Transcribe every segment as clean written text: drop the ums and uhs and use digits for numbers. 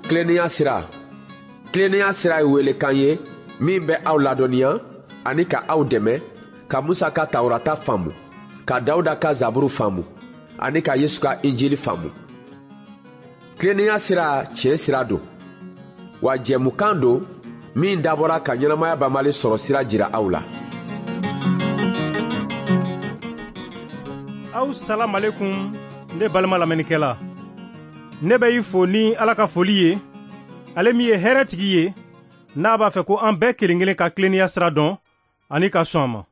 Tilennenya sira. Tilennenya sira ye welekan ye min bɛ aw ladɔnniya ani ka aw dɛmɛ ka Musa ka Tawurata faamu, ka Dawuda ka Zaburu faamu ani ka Yesu ka Injili faamu. Tilennenya sira tiɲɛ sira don, wa jɛmukan don min dabɔra ka ɲɛnamaya banbali sɔrɔ sira jira aw la. Aw salamalekum, ne balima lamɛnnikɛla. Ne bɛ i fo ni Ala ka foli ye, ale min ye hɛrɛtigi ye, n'a b'a fɛ ko an bɛɛ kelen kelen ka tilennenya sira dɔn ani ka sɔn a ma.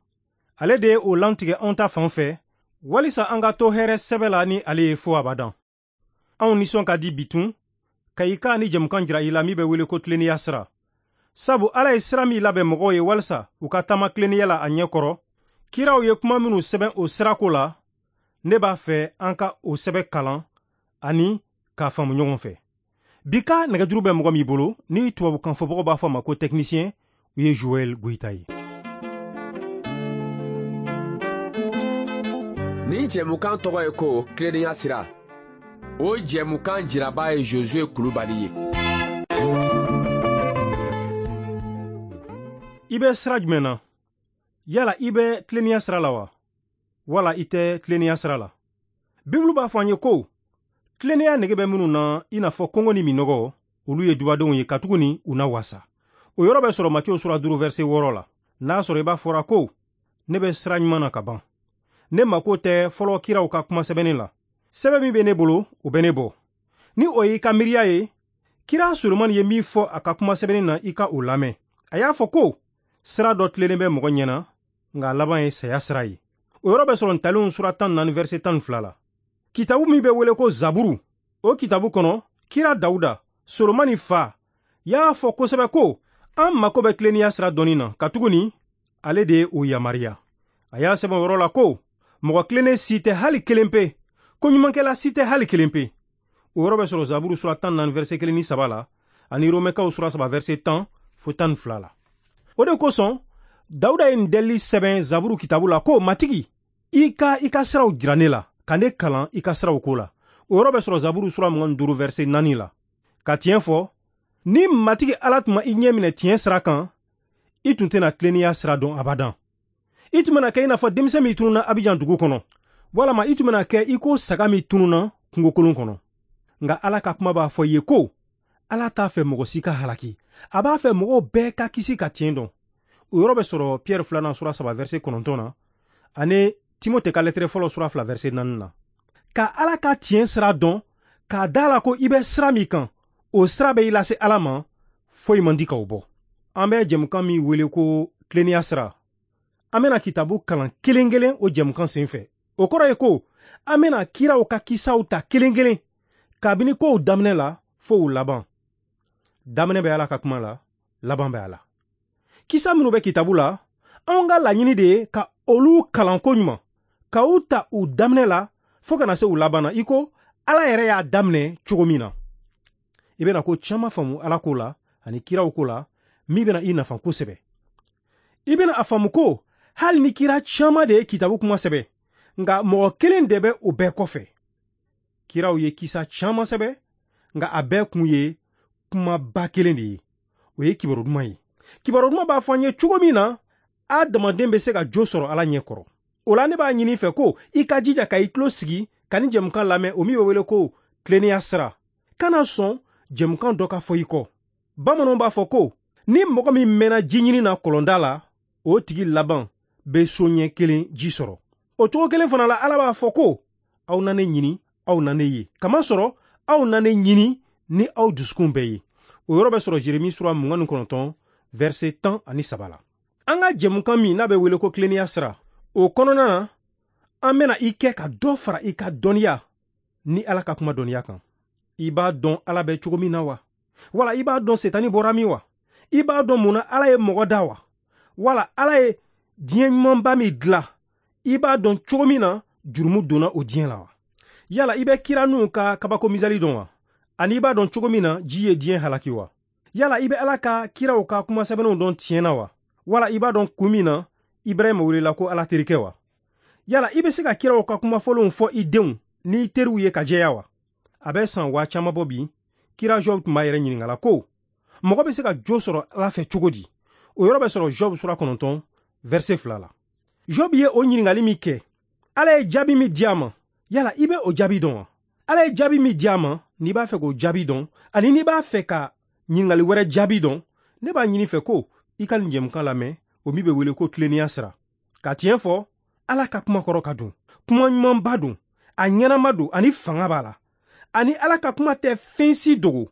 Ale de ye o lantigɛ anw ta fan fɛ, walisa an ka to hɛrɛ sɛbɛ la ni ale ye fo abadan. Anw nisɔn ka di bitun ka i ka ni jɛmukan jira i la min bɛ wele ko tilennenya sira. Sabu Ala ye sira min labɛn mɔgɔw ye walisa u ka taama tilennenya la a ɲɛ kɔrɔ, kiraw ye kuma minnu sɛbɛn o sirako la, ne b'a fɛ an ka o sɛbɛn kalan ani k'a faamu ɲɔgɔn fɛ. Bi ka nɛgɛjuru bɛ mɔgɔ min bolo, ni tubabukan fɔbagaw b'a fɔ a ma ko technicien, o ye Joël Goyita ye. Nin jɛmukan tɔgɔ ye ko tilennenya sira. O jɛmukan jiraba ye Josué Kulubali ye. I bɛ sira jumɛn na? Yala i bɛ tilennenya sira la wa? Wala i tɛ tilennenya sira la? Bibulu b'a fɔ an ye ko tilennenya nege bɛ minnu na i n'a fɔ kɔngɔ ni minɔgɔ, olu ye dubadenw ye katuguni u na wasa. O yɔrɔ bɛ sɔrɔ Matiyo sura 5 verset 6 la. N'a sɔrɔ i b'a fɔra ko ne bɛ sira ɲuman na ka ban, ne mako tɛ fɔlɔ kiraw ka kuma sɛbɛnni la. Sɛbɛn min bɛ ne bolo, o bɛ ne bɔ. Ni o y'i ka miiriya ye, kira Solomani ye min fɔ a ka kuma sɛbɛnni na, i ka o lamɛn. A y'a fɔ ko sira dɔ tilennen bɛ mɔgɔ ɲɛna, nka a laban ye saya sira ye. O yɔrɔ bɛ sɔrɔ Ntalenw sura 14 verset 12 la. Kitabu min bɛ wele ko Zaburu, o kitabu kɔnɔ, kira Dawuda, Solomani fa, y'a fɔ kosɛbɛ ko an mako bɛ tilennenya sira dɔnni na, katuguni ale de ye o yamaruya. A y'a sɛbɛn o yɔrɔ la ko mɔgɔ tilennen si tɛ hali kelen pe, ko ɲumankɛla si tɛ hali kelen pe. O yɔrɔ bɛ sɔrɔ Zaburu sura 14 verset 1 ni 3 la, ani Romɛkaw sura 3 verset 10 fo 12 la. O de kosɔn Dawuda ye nin delili sɛbɛn Zaburu kitabu la ko Matigi, i ka i ka siraw jira ne la, ka ne kalan i ka siraw ko la. O yɔrɔ bɛ sɔrɔ Zaburu sura 25 verset 4 la. Ka tiɲɛ fɔ, ni Matigi Ala tun ma i ɲɛ minɛ tiɲɛ sira kan, i tun tɛna tilennenya sira dɔn abadan. I tun bɛna kɛ i n'a fɔ denmisɛn min tununna Abijan dugu kɔnɔ, walama i tun bɛna kɛ i ko saga min tununna kungokolon kɔnɔ. Nka Ala ka kuma b'a fɔ i ye ko Ala t'a fɛ mɔgɔ si ka halaki, a b'a fɛ mɔgɔw bɛɛ ka kisi ka tiɲɛ dɔn. O yɔrɔ bɛ sɔrɔ Pierre 2 sura 3 verset 9 na, ani Timote ka lɛtɛrɛ fɔlɔ sura 2 verset 4 na. Ka Ala ka tiɲɛ sira dɔn, k'a da la ko i bɛ sira min kan, o sira bɛ i lase Ala ma, foyi man di k'o bɔ. An bɛ jɛmukan min wele ko tilennenya sira, an bɛna kitabu kalan kelen kelen o jɛmukan sen fɛ. O kɔrɔ ye ko an bɛna kiraw ka kisaw ta kelen kelen kabini kow daminɛ la fo u laban. Daminɛ bɛ Ala ka kuma la, laban bɛ a la. Kisa minnu bɛ kitabu la, anw ka laɲini de ye ka olu kalan koɲuman, ka u ta u daminɛ la fo ka na se u laban na, i ko Ala yɛrɛ y'a daminɛ cogo min na. I bɛna ko caman faamu Ala ko la ani kiraw ko la min bɛna i nafa kosɛbɛ. I bɛna a faamu ko hali ni kira caman de ye kitabu kuma sɛbɛn, nka mɔgɔ kelen de bɛ o bɛɛ kɔfɛ. Kiraw ye kisa caman sɛbɛn, nka a bɛɛ kun ye kumaba kelen de ye, o ye kibaru duman ye. Kibaru duman b'a fɔ an ye cogo min na adamaden bɛ se ka jo sɔrɔ Ala ɲɛ kɔrɔ. O la ne b'a ɲini fɛ ko i ka jija ka i tulo sigi ka ni jɛmukan lamɛn, o min bɛ wele ko tilennenya sira. Kana sɔn jɛmukan dɔ ka fɔ i kɔ. Bamananw b'a fɔ ko ni mɔgɔ min mɛnna ji ɲini na kɔlɔnda la, o tigi laban bɛ so ɲɛ kelen ji sɔrɔ. O cogo kelen fana la, Ala b'a fɔ ko aw na ne ɲini, aw na ne ye, kamasɔrɔ aw na ne ɲini ni aw dusukun bɛɛ ye. O yɔrɔ bɛ sɔrɔ Jeremi sura 29 verset 13 la. An ka jɛmukan min n'a bɛ wele ko tilennenya sira, o kɔnɔna na an bɛna i kɛ ka dɔ fara i ka dɔnniya ni Ala ka kuma dɔnniya kan. I b'a dɔn Ala bɛ cogo min na wa? Wala i b'a dɔn Setani bɔra min wa? I b'a dɔn mun na Ala ye mɔgɔ da wa? Wala Ala ye diɲɛ ɲumanba min dilan, i b'a dɔn cogo min na jurumu donna o diɲɛ la wa? Yala i bɛ kira Nuhu ka kabako misali dɔn wa? Ani i b'a dɔn cogo min na ji ye diɲɛ halaki wa? Yala i bɛ Ala ka kiraw ka kuma sɛbɛnnenw dɔn tiɲɛ na wa? Wala i b'a dɔn kun min na Ibrahima welela ko Ala terikɛ wa? Yala i bɛ se ka kiraw ka kuma fɔlenw fɔ i denw n'i teriw ye ka jɛya wa? A bɛ san 10 000 caman bɔ bi, Kira Job tun b'a yɛrɛ ɲininka la ko mɔgɔ bɛ se ka jo sɔrɔ Ala fɛ cogo di? O yɔrɔ bɛ sɔrɔ Job sura 9 verset 2 la. Job ye o ɲininkali min kɛ, Ala ye jaabi min di a ma, yala i bɛ o jaabi dɔn wa? Ala ye jaabi min di a ma, n'i b'a fɛ k'o jaabi dɔn, ani n'i b'a fɛ ka ɲininkali wɛrɛ jaabi dɔn, ne b'a ɲini fɛ ko i ka nin jɛmukan lamɛn, o min bɛ wele ko tilennenya sira. Ka tiɲɛ fɔ, Ala ka kuma kɔrɔ ka dun, kuma ɲumanba don, a ɲɛnama don, ani fanga b'a la. Ani Ala ka kuma tɛ fɛn si dogo.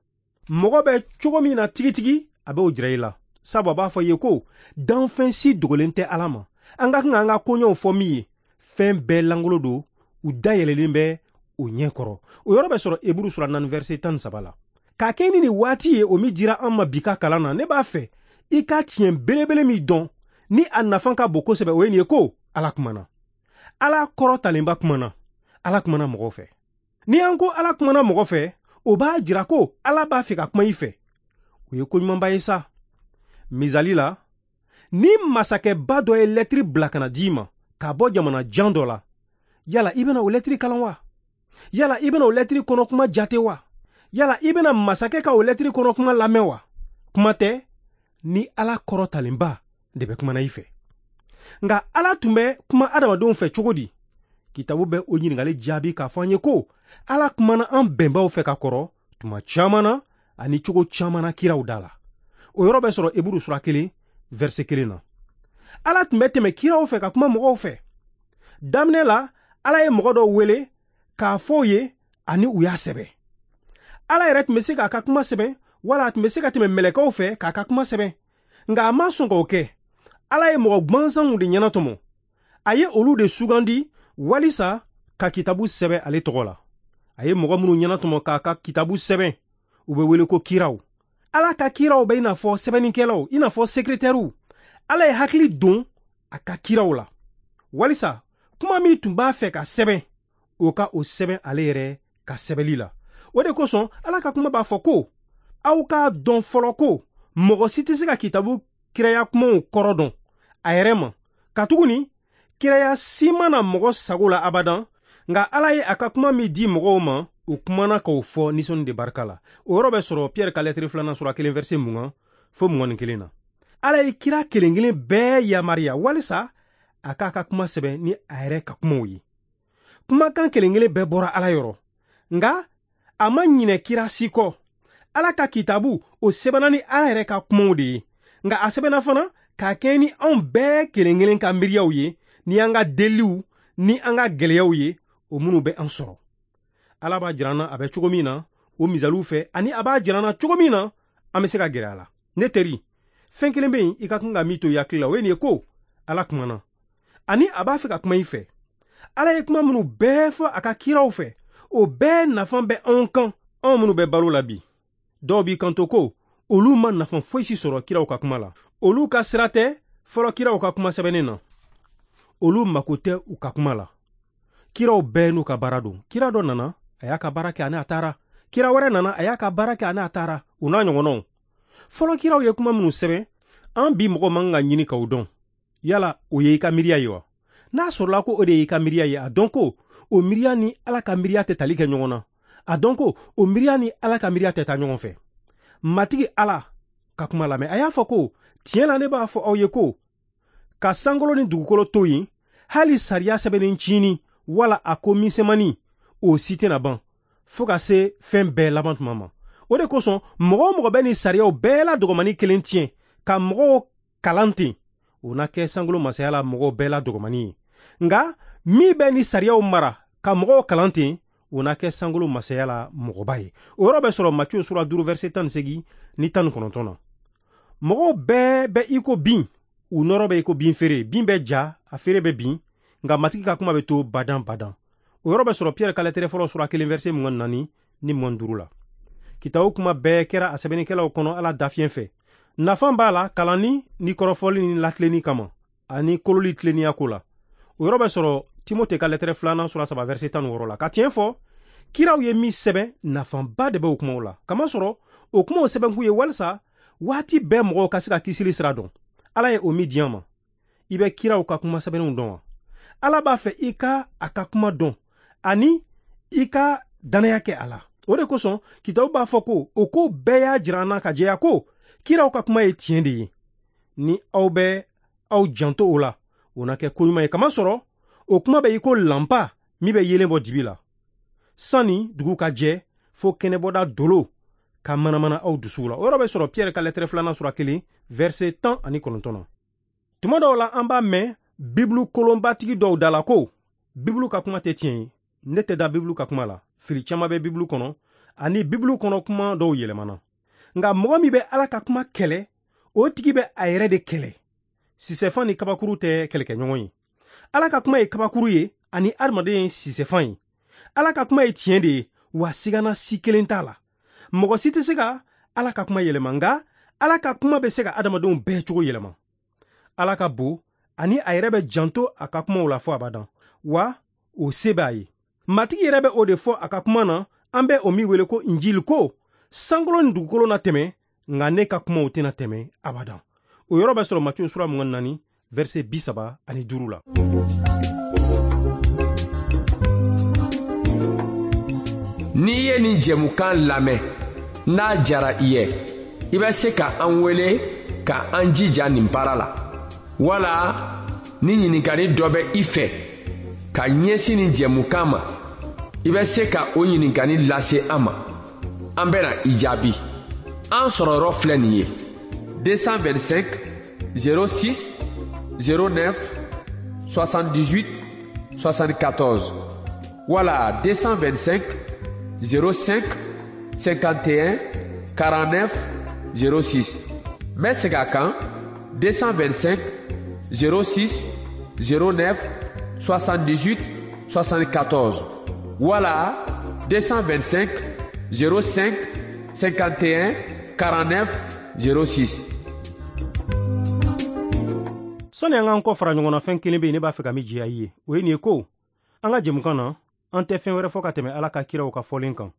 Mɔgɔ bɛ cogo min na tigitigi, a b'o jira i la. Sabu a b'a fɔ i ye ko danfɛn si dogolen tɛ Ala ma. An ka kan k'an ka koɲɛw fɔ min ye, fɛn bɛɛ langolo don, u dayɛlɛlen bɛ o ɲɛ kɔrɔ. O yɔrɔ bɛ sɔrɔ Eburu sura 4 verset 13 la. K'a kɛ ni nin waati ye o min dira an ma bi ka kalan na, ne b'a fɛ i ka tiɲɛ belebele min dɔn ni a nafa ka bon kosɛbɛ, o ye nin ye ko Ala kumana. Ala kɔrɔtalenba kumana. Ala kumana mɔgɔw fɛ. Ni an ko Ala kumana mɔgɔ fɛ, o b'a jira ko Ala b'a fɛ ka kuma i fɛ. O ye koɲumanba ye sa. Misali la, ni masakɛba dɔ ye lɛtiri bila ka na d'i ma k'a bɔ jamana jan dɔ la, yala i bɛna o lɛtiri kalan wa? Yala i bɛna o lɛtiri kɔnɔ kuma jate wa? Yala i bɛna masakɛ ka o lɛtiri kɔnɔ kuma lamɛn wa? Kuma tɛ ni Ala kɔrɔtalenba de bɛ kumana i fɛ. Nka Ala tun bɛ kuma adamadenw fɛ cogo di? Kitabu bɛ o ɲininkali jaabi k'a fɔ an ye ko Ala kumana an bɛnbaw fɛ ka kɔrɔ tuma caman na ani cogo caman na kiraw da la. O yɔrɔ bɛ sɔrɔ Eburu sura 1 verset 1 na. Ala tun bɛ tɛmɛ kiraw fɛ ka kuma mɔgɔw fɛ. Daminɛ la, Ala ye mɔgɔ dɔw wele k'a fɔ u ye ani u y'a sɛbɛn. Ala yɛrɛ tun bɛ se k'a ka kuma sɛbɛn, wala a tun bɛ se ka tɛmɛ mɛlɛkɛw fɛ k'a ka kuma sɛbɛn. Nka a ma sɔn k'o kɛ. Ala ye mɔgɔ gwansanw de ɲɛnatɔmɔ. A ye olu de sugandi walisa ka kitabu sɛbɛn ale tɔgɔ la. A ye mɔgɔ minnu ɲɛnatɔmɔ k'a ka kitabu sɛbɛn, u bɛ wele ko kiraw. Ala ka kiraw bɛ i n'a fɔ sɛbɛnnikɛlaw, i n'a fɔ sekretɛriw. Ala ye hakili don a ka kiraw la walisa kuma min tun b'a fɛ ka sɛbɛn, o ka o sɛbɛn ale yɛrɛ ka sɛbɛnli la. O de kosɔn Ala ka kuma b'a fɔ ko aw k'a dɔn fɔlɔ ko mɔgɔ si tɛ se ka kitabu kiraya kumaw kɔrɔ dɔn a yɛrɛ ma, katuguni kiraya si ma na mɔgɔ sago la abadan, nka Ala ye a ka kuma min di mɔgɔw ma, u kumana k'o fɔ nisɔnni de barika la. O yɔrɔ bɛ sɔrɔ Pierre ka lɛtiri 2 sura 1 verset 20 fo 21 na. Ala ye kira kelen kelen bɛɛ yamaruya walisa a k'a ka kuma sɛbɛn ni a yɛrɛ ka kumaw ye. Kumakan kelen kelen bɛɛ bɔra Ala yɔrɔ, nka a ma ɲinɛ kira si kɔ. Ala ka kitabu o sɛbɛnna ni Ala yɛrɛ ka kumaw de ye, nka a sɛbɛnna fana k'a kɛ ni anw bɛɛ kelen kelen ka miiriyaw ye, ni an ka deliw ni an ka gɛlɛyaw ye, o minnu bɛ an sɔrɔ. Ala b'a jira an na a bɛ cogo min na o misaliw fɛ, ani a b'a jira an na cogo min na an bɛ se ka gɛrɛ a la. Ne teri, fɛn kelen bɛ yen i ka kan ka min to i hakili la, o ye nin ye ko Ala kumana, ani a b'a fɛ ka kuma i fɛ. Ala ye kuma minnu bɛɛ fɔ a ka kiraw fɛ, o bɛɛ nafa bɛ anw kan, anw minnu bɛ balo la bi. Dɔw b'i kanto ko olu ma nafa foyi si sɔrɔ kiraw ka kuma la. Olu ka sira tɛ fɔlɔ kiraw ka kuma sɛbɛnnen na. Olu mako tɛ u ka kuma la. Kiraw bɛɛ n'u ka baara don. Kira dɔ nana, a y'a ka baara kɛ ani a taara. Kira wɛrɛ nana, a y'a ka baara kɛ ani a taara. U n'a ɲɔgɔnnaw. Fɔlɔ kiraw ye kuma minnu sɛbɛn, an bi mɔgɔ man kan ka ɲini k'o dɔn. Yala o ye i ka miiriya ye wa? N'a sɔrɔla ko o de y'i ka miiriya ye, a dɔn ko o miiriya ni Ala ka miiriya tɛ tali kɛ ɲɔgɔn na. A dɔn ko o miiriya ni Ala ka miiriya tɛ taa ɲɔgɔn fɛ. Matigi Ala ka kuma lamɛn. A y'a fɔ ko tiɲɛ la ne b'a fɔ aw ye ko ka sankolo ni dugukolo to yen, hali sariya sɛbɛnnen cini wala a ko misɛnmanin, o si tɛna ban fo ka se fɛn bɛɛ laban tuma ma. O de kosɔn mɔgɔ o mɔgɔ bɛ nin sariyaw bɛɛ la dɔgɔmani kelen tiɲɛ ka mɔgɔw kalan ten, o na kɛ sankolo masaya la mɔgɔw bɛɛ la dɔgɔmani ye. Nka min bɛ nin sariyaw mara ka mɔgɔw kalan ten, o na kɛ sankolo masaya la mɔgɔba ye. O yɔrɔ bɛ sɔrɔ Matthieu sura 5 verset 18 ni 19 na. Mɔgɔw bɛɛ bɛ i ko bin, u nɔrɔ bɛ i ko bin feere. Bin bɛ ja, a feere bɛ bin, nka Matigi ka kuma bɛ to badan badan. O yɔrɔ bɛ sɔrɔ Pierre ka lɛtɛrɛ fɔlɔ sura 1 verset 24 ni 25 la. Kitabu kuma bɛɛ kɛra a sɛbɛnnikɛlaw kɔnɔ Ala dafiɲɛ fɛ. Nafa b'a la kalanni ni kɔrɔfɔli ni latilenni kama, ani kololi tilennenya ko la. O yɔrɔ bɛ sɔrɔ Timote ka lɛtɛrɛ 2 sura 3 verset 16 la. Ka tiɲɛ fɔ, kiraw ye min sɛbɛn, nafaba de bɛ o kumaw la. Kamasɔrɔ o kumaw sɛbɛnkun ye walisa waati bɛɛ mɔgɔw ka se ka kisili sira dɔn. Ala ye o min di an ma. I bɛ kiraw ka kuma sɛbɛnnenw dɔn wa? Ala b'a fɛ i ka a ka kuma dɔn ani i ka dannaya kɛ a la. O de kosɔn kitabu b'a fɔ ko o ko bɛɛ y'a jira an na ka jɛya ko kiraw ka kuma ye tiɲɛ de ye. Ni aw bɛ aw janto o la, o na kɛ koɲuman ye, kamasɔrɔ o kuma bɛ i ko lanpa min bɛ yeelen bɔ dibi la sanni dugu ka jɛ, fo kɛnɛbɔda dolo ka manamana aw dusuw la. O yɔrɔ bɛ sɔrɔ Piyɛri ka lɛtɛrɛ 2nan sura 1 verset 19 na. Tuma dɔw la an b'a mɛn Bibulu kolonbatigi dɔw da la ko Bibulu ka kuma tɛ tiɲɛ ye. Ne tɛ da Bibulu ka kuma la. Fili caman bɛ Bibulu kɔnɔ ani Bibulu kɔnɔ kuma dɔw yɛlɛmana. Nka mɔgɔ min bɛ Ala ka kuma kɛlɛ, o tigi bɛ a yɛrɛ de kɛlɛ. Sisɛfan ni kabakuru tɛ kɛlɛkɛɲɔgɔn ye. Ala ka kuma ye kabakuru ye ani adamaden ye sisɛfan ye. Ala ka kuma ye tiɲɛ de ye, wa sigana si kelen t'a la. Mɔgɔ si tɛ se ka Ala ka kuma yɛlɛma, nka Ala ka kuma bɛ se ka adamadenw bɛɛ cogo yɛlɛma. Ala ka bon ani a yɛrɛ bɛ janto a ka kumaw la fɔ abadan, wa o se b'a ye. Matigi yɛrɛ bɛ o de fɔ a ka kuma na, an bɛ o min wele ko Injili, ko sankolo ni dugukolo na tɛmɛ, nka ne ka kumaw tɛna tɛmɛ abadan. O yɔrɔ bɛ sɔrɔ Matiyu sura 24 verset 35 la. N'i ye nin jɛmukan lamɛn, n'a jara i ye, i bɛ se ka an wele ka an jija nin baara la, wala ni ɲininkali dɔ bɛ i fɛ ka ɲɛsin nin jɛmukan ma, i bɛ se ka o ɲininkali lase an ma. An bɛna i jaabi. An sɔrɔyɔrɔ filɛ nin ye: 225 06 09 78 74 wala 225 05 51 49 06. N bɛ segin a kan: 225 06 09 78 74 wala 225 05 51 49 06. Sani an k'an kɔ fara ɲɔgɔn na, fɛn kelen bɛ yen ne b'a fɛ ka min jɛya i ye, o ye nin ye ko an ka jɛmukan na, an tɛ fɛn wɛrɛ fɔ ka tɛmɛ Ala ka kiraw ka fɔlen kan.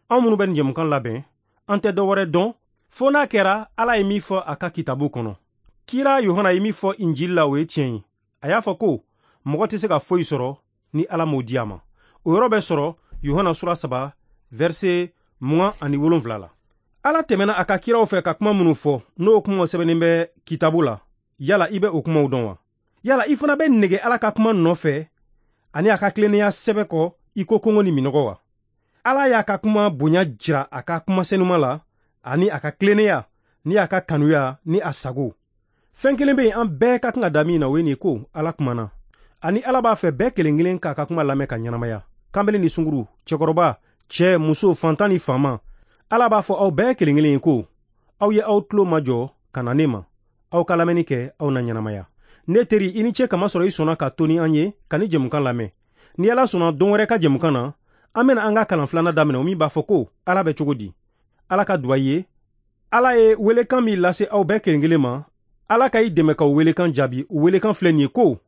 Anw minnu bɛ nin jɛmukan labɛn, an tɛ dɔ wɛrɛ dɔn fo n'a kɛra Ala ye min fɔ a ka kitabu kɔnɔ. Kira Yohana ye min fɔ Injili la, o ye tiɲɛ ye. A y'a fɔ ko mɔgɔ tɛ se ka foyi sɔrɔ ni Ala m'o di a ma. O yɔrɔ bɛ sɔrɔ Yohana sura 3 verset 27 la. Ala tɛmɛna a ka kiraw fɛ ka kuma minnu fɔ, n'o kumaw sɛbɛnnen bɛ kitabu la, yala i bɛ o kumaw dɔn wa? Yala i fana bɛ nege Ala ka kuma nɔfɛ ani a ka tilennenya sɛbɛ kɔ i ko kɔngɔ ni minɔgɔ wa? Ala y'a ka kuma bonya jira a ka kuma senuma la, ani a ka tilennenya ni a ka kanuya ni a sago. Fɛn kelen bɛ yen an bɛɛ ka kan ka da min na, o ye nin ko Ala kumana. Ani Ala b'a fɛ bɛɛ kelen kelen k'a ka kuma lamɛn ka ɲɛnamaya. Kanbele ni sunguru, cɛkɔrɔba, cɛ, muso, fantan ni faama, Ala b'a fɔ aw bɛɛ kelen kelen ye ko aw ye aw tulo majɔ ka na ne ma, aw ka lamɛnni kɛ, aw na ɲɛnamaya. Ne teri, i ni ce kamasɔrɔ i sɔnna ka to ni an ye ka ni jɛmukan lamɛn. Ni Ala sɔnna, don wɛrɛ ka jɛmukan na, an bɛna an ka kalan filanan daminɛ, o min b'a fɔ ko Ala bɛ cogo di. Ala ka duwa ye. Ala ye welekan min lase aw bɛɛ kelen kelen ma, Ala ka i dɛmɛ ka o welekan jaabi. O welekan filɛ nin ye ko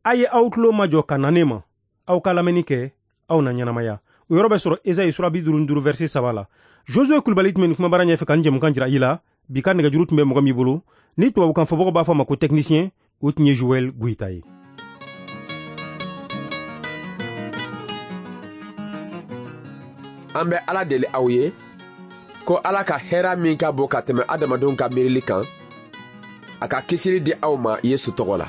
a ye aw tulo majɔ ka na ne ma, aw ka lamɛnni kɛ, aw na ɲɛnamaya. O yɔrɔ bɛ sɔrɔ Esayi sura 55 verset 3 la. Josue Kulibali tun bɛ nin kumabara ɲɛfɛ ka nin jɛmukan jira i la. Bi ka nɛgɛjuru tun bɛ mɔgɔ min bolo, ni tubabukan fɔbagaw b'a fɔ a ma ko technicien, o tun ye Joël Goyita ye. An bɛ Ala deli aw ye ko Ala ka hɛrɛ min ka bon ka tɛmɛ adamadenw ka miirili kan, a ka kisili di aw ma Yesu tɔgɔ la.